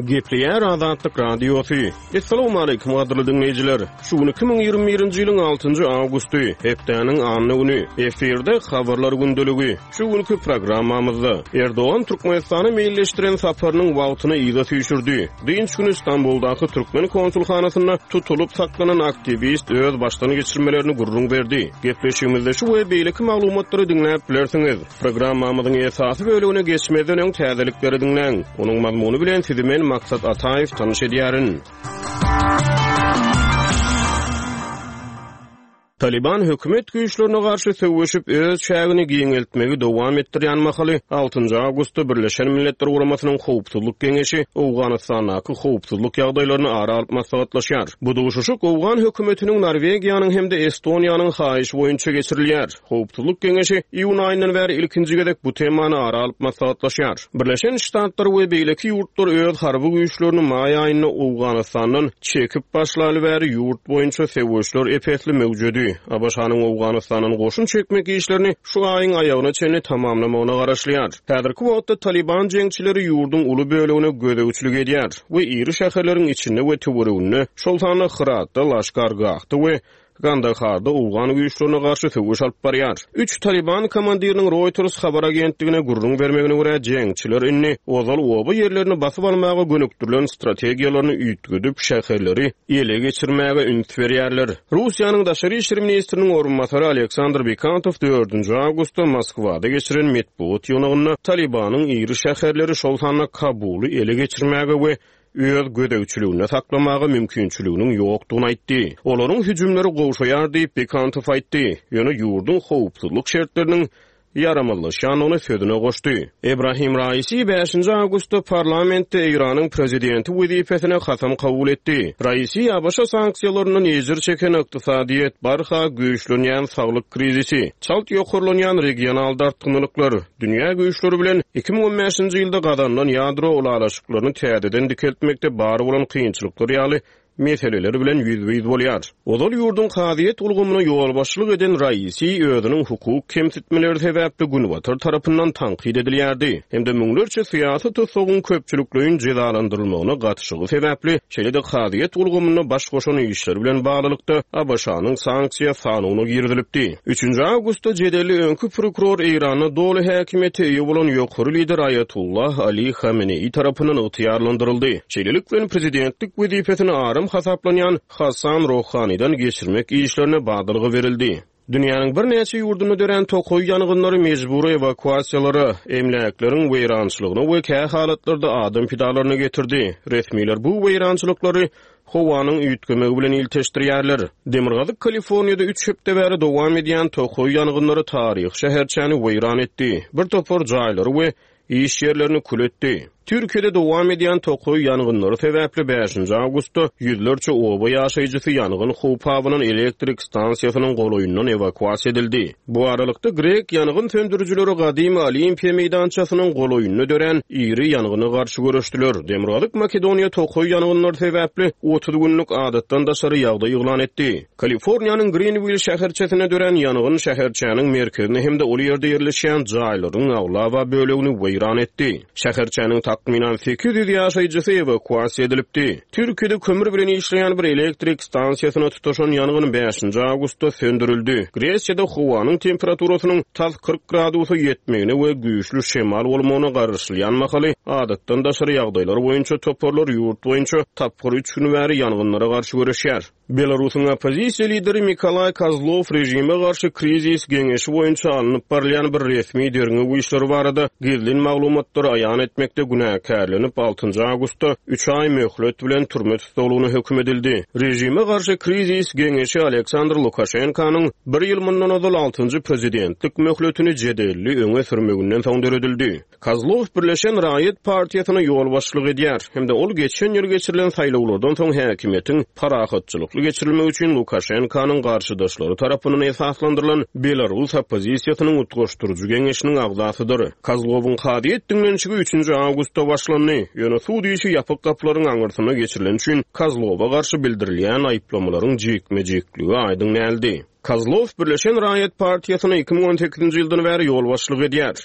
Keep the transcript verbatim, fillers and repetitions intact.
Gepleýär Azatlyk Radiosy. Essalawmaleýkim gadyrly diňleýjiler. Şu gün iki müň ýigrimi birinji ýylyň altynjy awgusty, hepdäniň anna güni. Efirde Habarlar gündeligi. Şu günki programmamyzda Erdogan Türkmenistana meýilleşdiren saparynyň wagtyny yza süýşürdi. Dynç güni Stambuldaky türkmen konsulhanasynda tutulyp saklanan aktiwist öz başdan geçirmelerini gürrüň berdi. Gepleşigimizde şu we beýleki maglumatlary diňläp bilersiňiz. Programmamyzyň esasy bölegine geçmezden öň täzelikleri diňläň. Onuň mazmuny bilen sizi men Maksat Ataýew tanyş edýärin. Taliban hökümet güýçlerine garşy söweşip öz çägini giňeltmegi dowam etdirýän mahaly altynjy awgustda Birleşen Milletler Guramasynyň Howpsuzlyk Geňeşi Owganystandaky howpsuzlyk ýagdaýlaryny ara alyp maslahatlaşýar. Bu duşuşyk Owgan hökümetiniň Norwegiýanyň hem-de Estoniýanyň haýyşy boýunça geçirilýär. Howpsuzlyk Geňeşi iýun aýyndan bäri ilkinji gezek bu temany ara alyp maslahatlaşýar. Birleşen Ştatlar we beýleki ýurtlar öz harby güýçlerini maý aýynda Owganystandan çekip başlaly bäri ýurt boýunça söweşler ep-esli möwjedi. A B Ş-nyň Owganystandan goşun çekmek işlerini şu aýyň aýagyna çenli tamamlamagyna garaşylýar. Häzirki wagtda Taliban jeňçileri ýurduň uly bölegine gözegçilik edýär we iri şäherleriň içinde we töwereginde, şol sanda Hyratda, Laşkargahda we Gandaharda Owgan güýçlerine garşy söweş alyp barýar. Üç Taliban komandiriniň Reuters habar agentligine gürrüň bermegine görä, jeňçiler indi ozal oba ýerlerini basyp almaga gönükdirilen strategiýalaryny üýtgedip, şäherleri ele geçirmäge üns berýärler. Russiýanyň daşary işler ministriniň orunbasary Aleksandr Bikantow dördünji awgustda Moskwada geçiren metbugat ýygnagynda Talibanyň iri şäherleri, şol sanda Kabuly ele geçirmäge we öz gözegçiliginde saklamaga mümkinçiliginiň ýokdugyny aýtdy. Olaryň hüjümleri gowşaýar diýip Bikantow aýtdy. Ýöne ýurduň howpsuzlyk şertleriniň ýaramazlaşýandygyny sözüne goşdy. Ebrahim Raisi bäşinji awgustda parlamentde Eýranyň prezidenti wezipesine kasam kabul etdi. Raisi A B Ş sanksiýalaryndan ejir çeken ykdysadyýet, barha güýçlenýän saglyk krizisi, çalt ýokarlanýan regional dartgynlyklar, dünýä güýçleri bilen iki müň on bäşinji ýylda gazanylan ýadro ylalaşyklaryny täzeden dikeltmekde bar bolan kynçylyklar ýaly meseleler bilen ýüzbe-ýüz bolýar. Ozal ýurduň kazyýet ulgamyna ýolbaşçylyk eden Raisi özüniň hukuk kemsitmeleri sebäpli Günbatar tarapyndan tankyt edilýärdi. Hem-de müňlerçe syýasy tutsagyň köpçülikleýin jezalandyrylmagyna gatyşygy sebäpli, şeýle-de kazyýet ulgamynda baş goşan işler bilen baglylykda A B Ş-nyň sanksiýa sanyna girizilipdi. Üçünji awgustda jedelli öňki prokuror Eýranda doly häkimiýete eýe bolan ýokary lider Ayatollah Ali Hamenei tarapyndan ygtyýarlandyryldy. Şeýlelik bilen prezidentlik wezipesini aram hasaplanýan Hasan Rohanidan geçirmek işlerine badalga berildi. Dünýäniň birnäçe ýurdunda dörän tokaý ýangynlary mejbury ewakuasiýalara, emläkleriň weýrançylygyna we kä halatlarda adam pidalaryna getirdi. Resmiler bu weýrançylyklary howanyň üýtgemegi bilen ilteşdirýärler. Demirgazyk Kaliforniýada üç hepde bäri dowam edýän tokaý ýangynlary taryhy şäherçäni weýran etdi. Bir topar jaýlary we iş ýerlerini kül etdi. Türkiýede dowam edýän tokaý ýangynlary sebäpli bäşinji awgustda ýüzlerçe oba ýaşaýjysy ýangyn howpabynyň elektrik stansiýasynyň golaýyndan ewakuasiýa edildi. Bu aralykda grek ýangyn söndürijileri gadymy Olimpiýa meýdançasynyň golaýynda dörän iri ýangyna garşy göreşdiler. Demirgazyk Makedoniýa tokaý ýangynlary sebäpli otuz günlük adatdan daşary ýagdaý yglan etdi. Kaliforniýanyň Greenville şäherçesine dörän ýangyn şäherçäniň merkezini hem-de ol ýerde ýerleşýän jaýlaryň aglaba bölegini weýran etdi. Şäherçäniň takmynan sekiz ýüz ýaşaýjysy ewakuasiýa edilipdi. Türkiýede kömür bilen işleýän bir elektrik stansiýasyna tutaşan ýangyn bäşinji awgustda söndürildi. Gresiýada howanyň temperaturasynyň tas kyrk gradusa ýetmegine we güýçli şemal bolmagyna garaşylýan mahaly adatdan daşary ýagdaýlar boýunça toparlar ýurt boýunça tapgyr üç gün bäri ýangynlara garşy göreşýär. Belarusyň oppozisiýa lideri Mikolaý Kozlov rejime garşy krizis geňeşi boýunça alnyp barylýan bir resmi derňew işleri barada gizlin maglumatlary aýan etmekde günäkärlenip altynjy awgustda üç aý möhlet bilen türme tussaglygyna höküm edildi. Rejime garşy krizis geňeşi Aleksandr Lukaşenkanyň bir ýyl mundan ozal altynjy prezidentlik möhletini jedelli öňe sürmeginden soň döredildi. Kozlov Birleşen Raýat partiýasyna ýolbaşçylyk edýär. Hem-de ol geçen ýyl geçirilen saýlawlardan soň häkimiýetiň parahatçylykly geçirilmegi üçin Lukaşenkanyň garşydaşlary tarapyndan esaslandyrylan Belarus oppozisiýasynyň utgaşdyryjy geňeşiniň agzasydyr. Kozlowyň kazyýet diňlenişigi üçünji awgustda başlandy. Ýöne sud işi ýapyk gapylaryň aňyrsyna geçirilen üçin Kozlowa garşy bildirilýän aýyplamalaryň jikme-jikligi aýdyň däldi. Kozlov Birleşen Raýat partiýasyna iki müň on sekizinji ýyldan bäri ýolbaşçylyk edýär.